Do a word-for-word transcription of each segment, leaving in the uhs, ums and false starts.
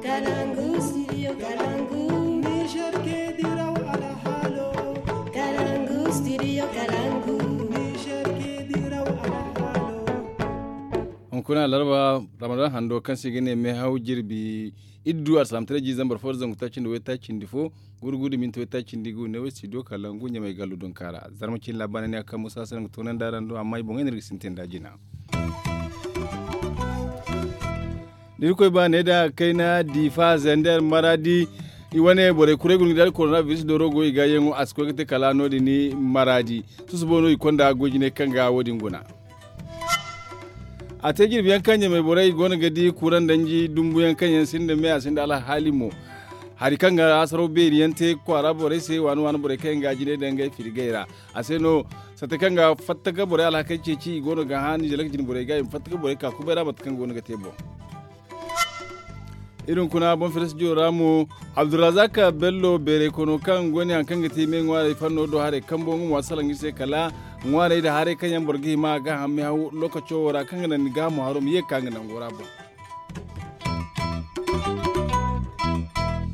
Kalangu studio kalangu. Niger ke diraw alhalo. Kalangu studio kalangu. Niger ke diraw alhalo. Hunkuna larba ramadan hando kaŋ se ga ne mehaw jirbi iddu alsalamtare ji zambar fo da zangu tacindi way tacindi fo gurgudu minti way tacindi gu ne way studio kalangu ɲamay gallu dunkara zarma cin labaana ne a kaŋ musa sarangu tonan da rando amma i boŋay ne ga sintin da jina. Da irkoy ba ne da kayna difa zender maradi i wane borey kuray gurgudari korona biris doro go i ga yaŋo a si koy ga te kala no- din maradi. Susubo no i konda goy jinay kaŋ ga wo- din guna. A te jirbi yaŋ kaŋ ɲamay borey i go no ga di kuraŋ danji dumbu yaŋ kaŋ yaŋ sinda me a sinda alhaali mo. Hari kaŋ ga hasaraw beeri yaŋ te kwaara borey se waani waani borey kaŋ yaŋ ga jinay daŋ ngey firgay ra. A se no sata kaŋ ga fatta ga borey alhakey ceeci i go no ga hã ni zalak jine borey ga i ma fatta ga borey ka kubay ra mate kaŋ go no ga te boŋ. Iri hunkuna boŋ fere studio ra mo abdulrazak bello beeray kono kaŋ go ne hari kaŋ ga te i me ŋwaarey fanno do haray kambo nga mo a salaŋ iri se kala ŋwaarey nda haray kaŋ yaŋ boro ga hima a ga hamme haw lokaco wo ra kaŋ ga naŋ ni gaahamo haro ma ye ga ka nga nango ra boŋ.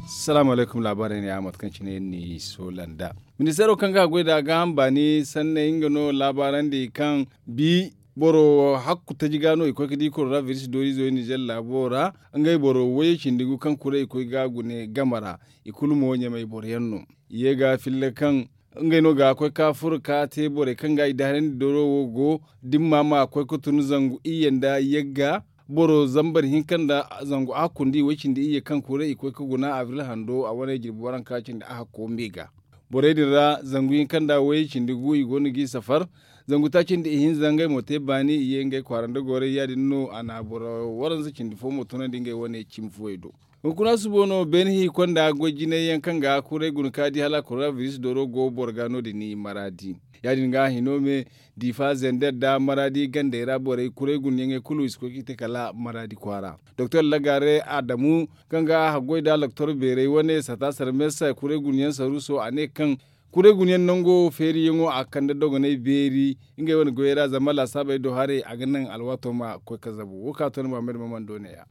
Salaamu alaykum laabaarey ne a mate kaŋ cine iri n'i soola nd'a. Ministeero kaŋ ga a goy nd'a gaaham baani sanney nga no laabaarandi kaŋ bi boro hakku taji ga no i koy ga di korona biris dooriizo yaŋ nizer laabo ra. Ngey boro wayey cindi gu kaŋ kuray i koy ga a gune game ra. I kulu mo ɲamay boro yaŋ no i ye ga filla kaŋ ngey no ga koy ka furo ka te borey kaŋ ga i daharandi doro wo go dimma ma koy ga tun zangu iyye nda yagga. Boro zambar hinka nda zangu a kundi way cindi iyye kaŋ kuray i koy ga guna abril hando a wane jirbi waranka cindi a hakko me ga. Borey din ra zangu hinka nda way cindi gu i go no g'i safar. Zangu taaci nda ihinza ngey mo te baani i ye ngey kwaara nda goray ya- din no a na boro waranza cindi fo mo tunandi ngey wane cimi fuwey do. Hunkuna subo no beene hi konda goy jinay yaŋ kaŋ ga kuray guna ka di hala korona biris dooro go boro ga no- din maraadi. Ya- din ga hino me difa zender nda maraadi gandey ra borey kuray guna yaŋey kulu i si koy ga i te kala maraadi kwaara. Doktor lagare adamu kaŋ ga haggoy nda doktor beerey wane sata sarmesa kuray guna yaŋ saruuso a ne kaŋ kuray guna yaŋ nango feeriyaŋo a kande dogonay beeri ngey wane goyey ra zama laasaabey do haray a ga naŋ alwaato ma koy ga zabu wo ka to ni muhammad maman do ne- ya.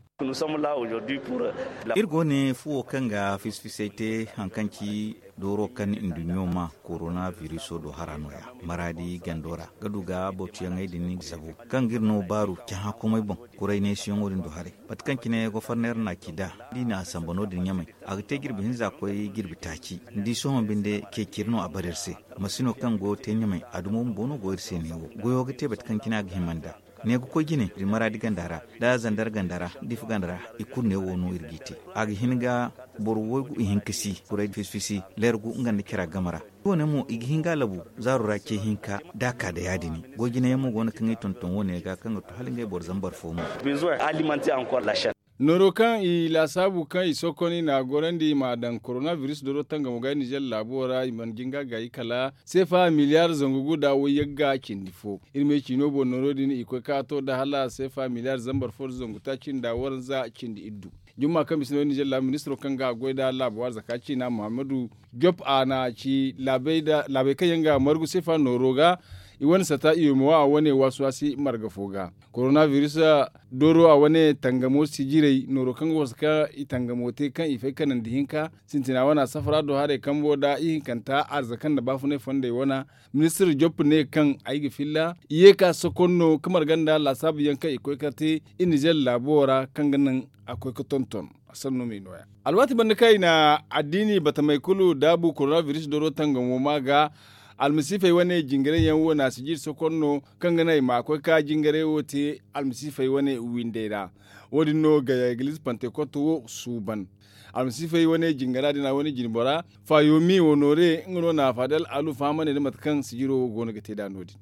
Iri go ne fuwo kaŋ ga fisfisay te hari kaŋ ci dooro kaŋ nduɲɲo ma korona biriso do hara no- ya maraadi gando ra ga du ga bootiyaŋey din zabu kaŋ ga iri no baaru cahã komey boŋ. Kuray neesiyaŋo din do haray mate kaŋ cine goforneer na ci nd'a da i na a samba no- din ɲamay a ga te jirbi hinza koy jirbi taaci. Ni di sohõ binde ceeciri no a bare iri se. Masino kaŋ go ga te ɲamay a dumo bumbo no go iri se neewo goyo ga te mate kaŋ cine a ga hima nd'a. Ne ga koy jine iri maraadi ganda ra nda zandar ganda ra nda ifa ganda ra i kulu neewo no iri g'i te. A ga hin ga boro waygu ihinka si kuray fisfisi leer gu nga nda cara game ra. Wo- ne mo i ga hin ga a labu zaaro ra ce hinka da a ka da ya- din. Goy jine yaŋ mo go no kaŋ i tonton wo- ne ga kaŋ ga to hala ngey boro zambar fo mo. Nooro kaŋ i laasaabu kaŋ i sokon i n'a gorandi i m'a daŋ korona biris doro tangamo ga nizer laabo ra i mana jinga gaayi kala seefa miliyaar zangu gu nda wayyagga cindi fo. Iri me ciino boŋ nooro din i koy ka to nda hala seefa miliyaar zambar fo nda zangu taaci nda waranza cindi iddu. Jumma kaŋ bisa no nizer laabu ministiro kaŋ ga a goy nda laabu arzaka ciina muhammadu job a na ci laabey kaŋ yaŋ ga margu seefa nooro ga i wane sata i ma wa a wane waasi waasi marga fo ga. Korona biris dooro a wane tangamo sijirey nooro kaŋ ga wasu ka i tangamo te kaŋ i fay kanandi hinka sintina wane a safara do haray kambo nda ihinkanta arzaka nda baafunay fondey wane. Ministir job ne kaŋ ay ga filla i ye ka sokon no ka marga nda laasaabu yaŋ kaŋ i koy ka te i nizer laabo ra kaŋ ga naŋ a koy ka tonton. Sanno me nooya alwaati banda kaŋ i na addiini batamey kulu daabu korona biris dooro tangamo ma ga almasiifey wane jingaray yaŋ wo na sijir sokon no kaŋ ga naŋ i ma koy ka jingaray wo te almasiifey wane windey ra. Wo- din no gaya egiliz pantekot wo suuban almasiifey wane jingara din a wane jinbora faayomi wo noore nga no na faadal alu fahamane nda mate kaŋ sijiro wo go no ga te nd'a no- din.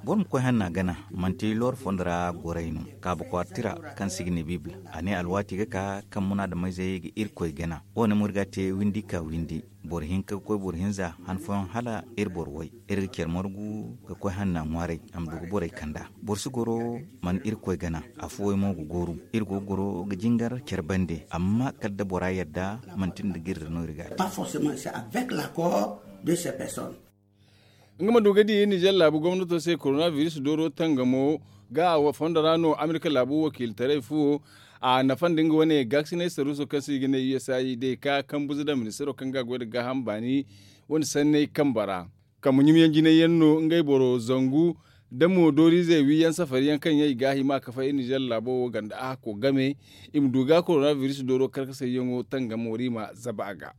Boro ma koy hanna gana manti looro fondo ra goray no kaaba kwaara tira kaŋ si ga ne bibila a ne alwaati ga ka kaŋ munaadameyzey ga irkoy gana. Wo- ne mo iri ga a te windi ka windi boro hinka ga koy boro hinza han fooyaŋ hala iri boro way iri ga care margu ga koy hanna ŋwaaray a ma du ga borey kand'a. Boro si goro mana irkoy gana. Afooyaŋ mo ga gooru iri go ga goro ga jingar care bande amma kala da bora yadda manti nda giri ra no iri ga a te. Nga ma du ga di nizer laabu gomnato se korona biris dooro tangamo Ga a fondo ra no amerika laabu wakiilitaray fuwo a nafa nda nga wane gaakasinay saruuso kaŋ se i ga ne u s a i day ka kambuze nda ministeero kaŋ ga a goy nda gaaham baani wane sanney kambe ra. Kambe ɲumyaŋ jinay yaŋ no ngey boro zangu nda mo dooriizey wiiyaŋ safari yaŋ kaŋ yaŋ i ga a hima ka fay iri nizer laabo wo ganda a hakko game. I ma du ga korona biris dooro karkasayyaŋo tangamo ra i ma zabu a ga.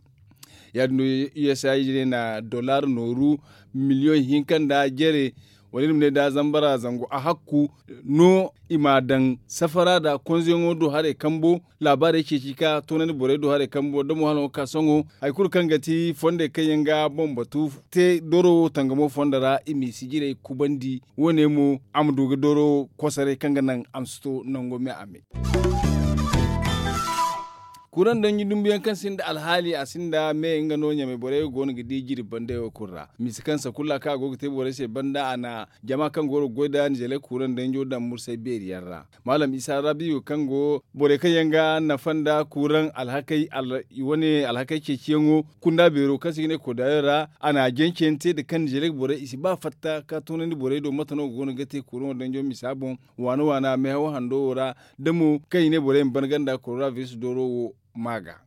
Ya- din no u s a i ne na dollar nooru miliyoŋ hinka nda jere wala iri ma ne da zambara zangu a hakku no i ma a daŋ safara nda konzeyaŋo do haray kambo. Laabaarey ceeci ka toonandi borey do haray kambo da mo hala nga ga ka sohõ hari kulu kaŋ ga ti fondey kaŋ yaŋ ga boŋ batu te doro wo tangamo fondo ra i m'i sijirey kubandi. Wo- ne mo a ma du ga doro kosoray kaŋ ga naŋ a ma si to nango me a me. Kuuraŋ danji dumbuyaŋ kaŋ sinda alhaali a sinda me nga no ɲamay borey go no ga di jirbi bandey wo kulu ra. Misa kaŋ sakulla kaŋ a go ga te borey se banda a na jama kaŋ go ga goy nda nizeeley kuuraŋ danjo daŋ mursay beeri yaŋ ra. Maalam isa rabiyo kaŋ go borey kaŋ yaŋ ga nafa nda kuuraŋ alhakey wane alhakey ceeciyaŋo kunda beero kaŋ se i ga ne kodayo ra. A na a janceyaŋ te nda kaŋ nizeeley borey i si ba fatta ka toonandi borey do mate no go no ga te kuuraŋo danjo misa boŋ waana waana meehaw hando wo ra. Da mo kaŋ i ne borey ma ban ganda korona biris dooro wo ma ga.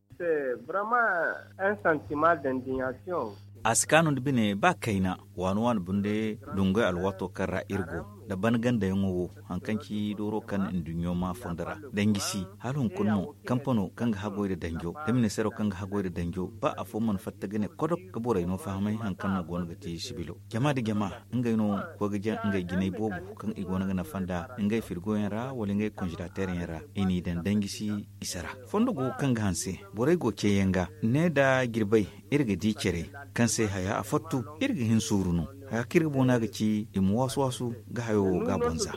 A si kaanu nda bine ba kayna waani waani bunde dungay alwaato kaŋ ra iri go nda ban gandayaŋo wo haŋ kaŋ ci dooro kaŋ nduɲɲo maa fondo ra. Danji si hala hunkuna no kampano kaŋ ga haggoy nda danjo da ministeero kaŋ ga haggoy nda danjo ba afo mana fatta ga ne kodok ga borey no fahamay haŋ kaŋ no go no ga te sibilo jama nda jama ngey no koy ga jaŋ ngey jinay boobo kaŋ i go no ga nafa nda ngey firgoyaŋ ra wala ngey konzelateeryaŋ ra. I n'i daŋ danji si isa ra fondo go kaŋ ga hanse borey go ceeyaŋ ga ne nda jirbey iri ga di care kaŋ se haya a fattu iri ga hin suuru no. Haya kaŋ iri ga boona ga ci i ma waasu waasu ga hayo wo ga a boŋ za.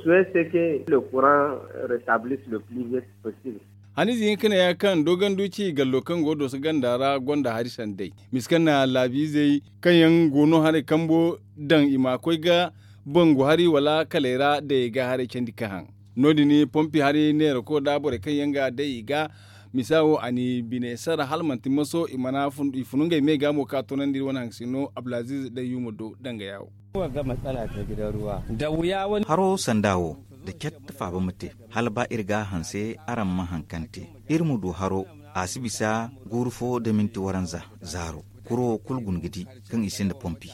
Hanize hinka ne ya kaŋ dogandu ci gallo kaŋ go dooso ganda ra gonda hari sanday misa kaŋ na laabiizey kaŋ yaŋ go no haray kambo daŋ i ma koy ga bangu hari wala kaley ra day ga haray candi ka haŋ. No- din pompi hari neerako nda borey kaŋ yaŋ ga day i ga misa wo a n'i bine sara hala manti maso i mana i funu ngey me ga mo ka toonandi iri wane haŋ sino abdulaziiz day yuuma do dangaya wo. Haro sanda wo da cat faaba ma te hala ba iri ga a hanse araŋ ma haŋ kaŋ te iri ma du haro a si bisa guuru fo da minti waranza zaaro. Kuro wo kulu guna ga di kaŋ i sinda pompi.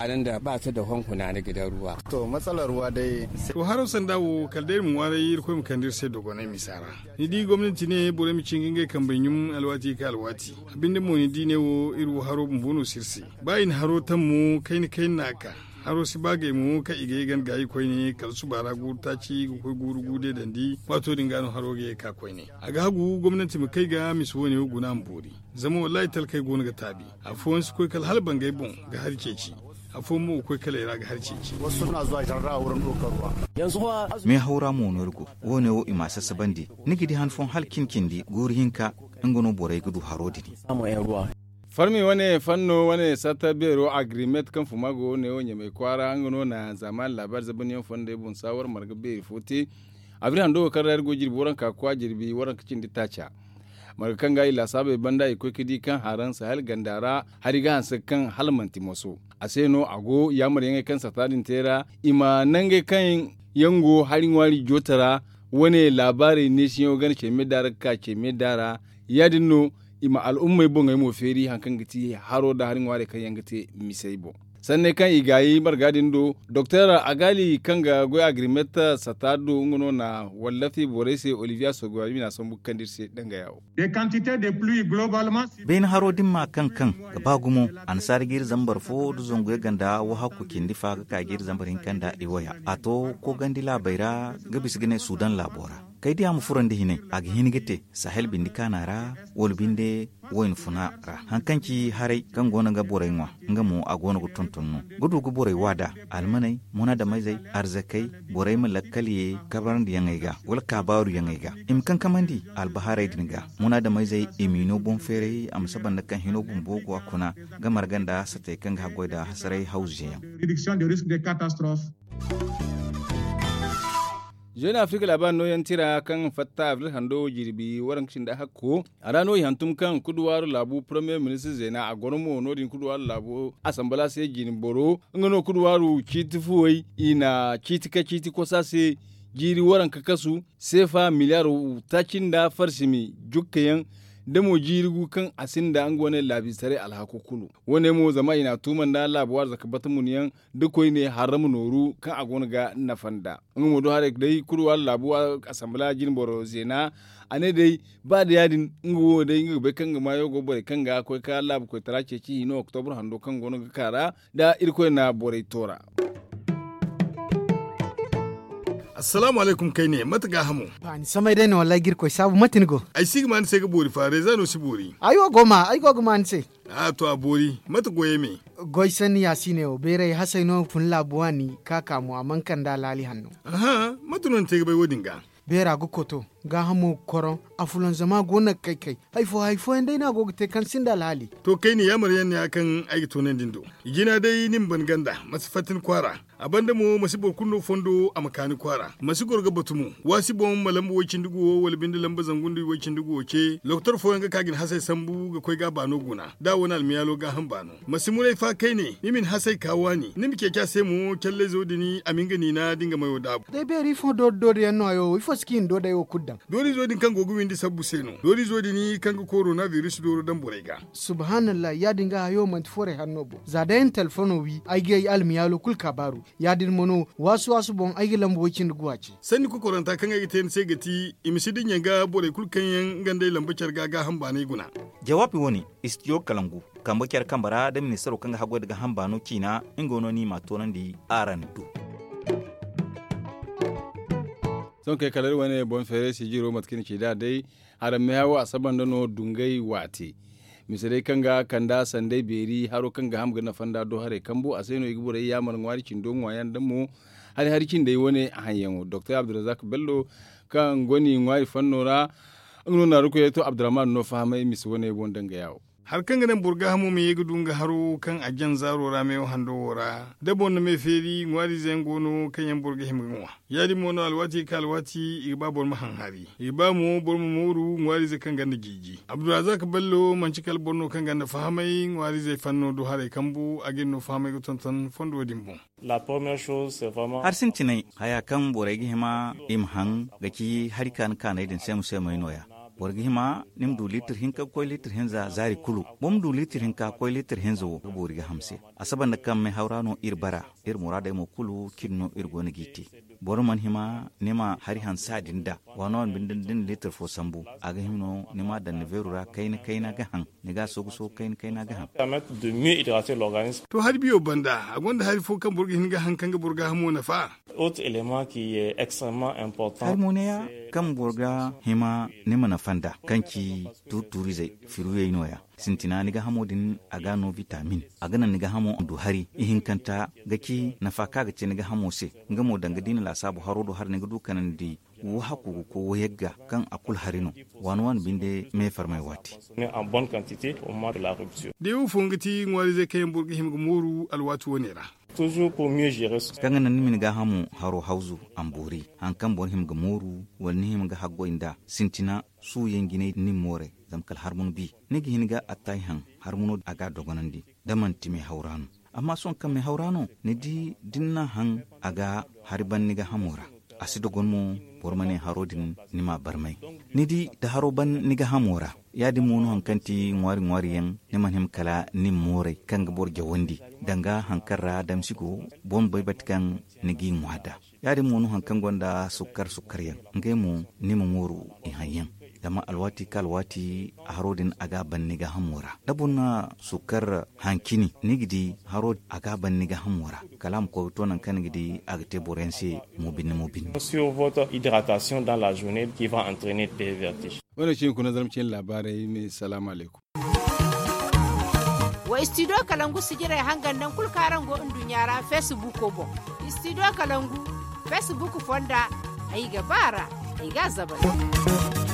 To haro sanda wo kala day iri ma ŋwaaray irkoy ma kande iri se dogonay misa ra. Ni di gomnanti ne borey ma cinga ngey kambey ɲum alwaati ka alwaati. A binde mo ni di ne wo iri wo haro bumbo no si iri se. Ba i na haro tammo kayna kayna no a ka haro si ba gay mo kaŋ i ga ye ganda gaayi koyne kala suba ra guuru taaci ga koy guuru guude dandi. Waato din ga no haro ga ye ga ka koyne a ga hagu gomnanti ma kay ga misa wo- ne wo guna a ma boori. Zama wallaahi talkey go no ga taabi. Afooyaŋ si koy kala hala bangay boŋ ga hari ceeci. Afooyaŋ mo ga koy kala i ra ga hari ceeci. Meehaw ra mo no iri go. Wo- ne wo i m'a sassabandi ni ga di han fooyaŋ hala cin cindi guuru hinka. Nga no borey ga du haro din. Farmi wane fanno wane satta beero agrimet kaŋ fuma go wo- ne wo ɲamay kwaara nga no na zaamaani laabaari zabanyaŋ fondey boŋ saawar marga beeri fo te. Abri hando wo kaŋ ra iri go jirbi waranka kwa jirbi waranka cindi taaca. Marga kaŋ ga i laasaabey banda i koy ga di kaŋ haraŋ sahel ganda ra hari ga hanse ga kaŋ hala manti moso. A se no a go yaamaryaŋey kaŋ sata din te ra i ma nangey kaŋ yaŋ go hari ŋwaari joota ra. Wane laabaarey neesiyaŋo gana cey me da ra ga ka cey me da ra. Ya- din no i ma al'ummey boŋey mo feeri hari kaŋ ga ti haro nda hari ŋwaarey kaŋ yaŋ ga te misey boŋ. Sanney kaŋ i gaayi marga din do doktor agali kaŋ ga goy agrimeta sata do nga no na wallafi borey se olivier sogoyami na sambu ga kande iri se dangaya wo. Beene haro din ma kaŋ kaŋ ga ba gumo annasaara ga iri zambar fo nda zangu yaŋ ganda wo hakku cindi fa ga ka ga iri zambar hinka nda i waya a to kogandi laabey ra ga bisa ga ne sudan laabo ra. Kay diya ma furandi hinay a ga hin ga te sahel bindi kaana ra wala binde wayna funa ra haŋ kaŋ ci haray kaŋ go no ga borey ŋwa. Nga mo a go no ga tonton no ga du ga borey waada almaney munaadamayzey arzakey borey ma lakkal ye kabarandi yaŋey ga wala kaabaaru yaŋey ga i ma kankamandi albahaarey din ga. Munaadamayzey i m'i no boŋ feeray a ma saba nda kaŋ hino bumbo go a kuna ga marga nda satey kaŋ ga haggoy nda hasaray hawzuyaŋ. Jeune afrique laabaari nooyaŋ tira kaŋ fatta avril hando jirbi waranka cindi hakko a ra no i hantum kaŋ kuduwaaru laabu premier ministre zeena a goro mo no- din kuduwaaru laabu asambala se jine boro nga no kuduwaaru ciiti fuwey i na ciiti ka ciiti kosa se. jiiri waranka kasu, seefa miliyaar taaci nda farsimi jukka yaŋ, da mo jiiri gu kaŋ a sinda nga wane laabiisaray alhako kulu. Wo- ne mo zama i n'a tuuma nda laabu waari zaka bata mun yaŋ, da koyne harra ma nooru kaŋ a go no ga nafa nda nga mo do haray day kulu waala laabu, asanbala jine boro zeena. A ne day, ba da ya- din nga wo day nga ga bay kaŋ ga maayo go borey kaŋ ga koy ka laabu koytara ceeci hino oktobur hando kaŋ go no ga ka ra, da irkoy na borey toora. Assalaamu alaykum kayne, mate gaahamo? Ba ni samay day no wallaahi ga irkoy saabu, mate ni go? Ay si ga ma ni se ga boori fa reeza no si boori. Ay wo go ma ay go ga ma ni se. A to a boori, mate goyey me? Goy sanni ya si ne wo beeray hasay no fun laabu waani ka ka mo a mana kande alhaali hanno. Aha, mate no ni te ga bay wo- din ga? Beera ga koto, gaahamo ga koroŋ, a fulanzama go no ga kay kay. Hari fo hari fooyaŋ day no a go ga te kaŋ sinda alhaali. To kayne yaamar yaŋ ne ya kaŋ ay ga toonandi ni do. Jina day ni ma ban ganda, ma si fatta ni kwaara. A banda mo ma si boro kulu no fondo a ma ka ni kwaara, ma si goro ga batu mo. Waasi boŋ ma lamba way- cindi guwo wala binde lamba zangu nda way- cindi guwo ce, lokotor fooyaŋ ga ka ga ni hasay sambu ga koy ga a baano guna, da a wane almiyaalo gaaham baano. Ma si muray fa kayne, ni ma ni hasay ka waani, ni ma ceeci a se mo callayzo din a ma nga niina da nga mayo daabu. Day beeri ifo doori doori yaŋ no hayo wo ifo si ka i na doodey wo kulu daŋ? Doorizo din kaŋ go ga windi sabbu se no. Doorizo din kaŋ ga korona biris dooro daŋ borey ga. Subhaanallahi ya- din ga hayo manti forey hanno boŋ za day ay na telefono wi ay ga ay almiyaalo kulu kaabaaru. Ya- din mo no waasu waasu boŋ ay ga lamba way- cindi guwa ce. Sanni kokoranta kaŋ ay ga te ni se ga ti, i ma si dinya ga borey kulu kaŋ yaŋ nga nd'ey lamba care ga gaaham baanay guna. Jawaabi wo- ne, istidiyo kalangu, kambe care kambe ra da ministaro kaŋ ga haggoy nda gaaham baano ciina, nga no no i m'a toonandi araŋ do. Sohõ kay kala iri wane boŋ feeray sijiro mate kaŋ i na ci nd'a day, araŋ meehawo a saba nda no dungay waate. Mise day kaŋ ga kand'a sanday beeri haro kaŋ ga ham ga nafa nd'a do haray kambu a se no i ga borey yaamar ŋwaari cindo ŋwaayaŋ nda mo. Hari hari cindey wane haŋyaŋo doktor abdulrazak bello, kaŋ goni ŋwaari fanno ra, nga no naarukoyey to abdurrahman no fahamay mise wane boŋ dangaya wo. Hari kaŋ ga naŋ boro gaahamo ma ye ga du nga haro kaŋ a jaŋ zaaro ra meewo hando wo ra, da boro na me feeri ŋwaariize yaŋ go no kaŋ yaŋ boro ga hima ga ŋwa. Ya- din mo no alwaati ga ka alwaati i ga ba boro ma haŋ hari, i ga ba mo boro ma mooru ŋwaariize kaŋ ganda jiiji. Abdulrazak bello manci kala boro no kaŋ ganda fahamay ŋwaariizey fanno do haray kambu a ga iri no fahamay ga tonton fondo din boŋ. Hari sintinay haya kaŋ borey ga hima i ma haŋ ga ci hari kaani kaanay din seema seemay no- ya. Boro ga hima ni ma du liitir hinka ga koy liitir hinza zaari kulu. Boro ma du liitir hinka ga koy liitir hinza wo ga boori ga hamse. A saba nda kaŋ meehaw ra no iri bara, iri muraadey mo kulu cine no iri go no g'i te. Boro mana hima ni ma hari hansa din da waano waano binde da ni na liitir fo sambu, a ga hima no ni m'a daŋ ni beeru ra kayna kayna ga haŋ, ni ga a soogu soogu kayna kayna ga haŋ. To hari biyo banda a gonda hari fo kaŋ boro ga hin ga haŋ kaŋ ga boro gaahamo nafa? Hari mo neeya kaŋ boro ga hima ni ma nafa nd'a kaŋ ci tuuri tuurizey firuyey no- ya. Sintina ni gaahamo din a ga no bitamin, a ga naŋ ni gaahamo du hari ihinkanta ga ci nafa kaŋ a ga te ni gaahamo se. Nga mo danga da i na laasaabu haro do hari ni ga du kanandi wo hakku ga koy wo yagga kaŋ a kulu hari no. Waani waani binde me farmay waati. Da i wo fooyaŋ ga ti ŋwaariizey kaŋ yaŋ boro ga hima ga mooru alwaati wane ra. Kaŋ ga naŋ ni ma ni gaahamo haro hawzu a ma boori hari kaŋ boro hima ga mooru wala ni hima ga haggoy nd'a. Sintina suuyaŋ jinay ni ma mooray zama kala harmunu bi ni ga hin ga attaahi haŋ. Harmuno a ga a dogonandi da manti meehaw ra no. Amma sohõ kaŋ meehaw ra no ni di da ni n'a haŋ a ga hari ban ni gaahamo ra. A si dogon mo boro ma ne haro din ni m'a barmay. Ni di da haro ban ni gaahamo ra ya- din mo no hari kaŋ ti ŋwaari ŋwaari yaŋ ni mana hima kala ni ma mooray kaŋ ga boro jawandi danga hari kaŋ ra damsi go. Boro ma bay bate kaŋ ni g'i ŋwa nd'a. Ya- din mo no hari kaŋ gonda sukkar sukkar yaŋ ngey mo ni ma mooru i haŋ yaŋ. Zama alwaati ka alwaati haro din a ga a ban ni gaahamo ra da boro na sukkar haŋ cine ni ga di haro a ga a ban ni gaahamo ra. Kala a ma koy ga to nangu kaŋ ni ga di a ga te boro yaŋ se mo binne mo binne. Wo- ne cine kuna zarma cine laabaarey me salaamu alaykum. Wa istidiyo kalangu sijirey hangan nangu kulu kaŋ araŋ go nduɲɲa ra feesibuuko boŋ. Istidiyo kalangu feesibuuko fonda ay ga ba a ra. Ay ga a zabari.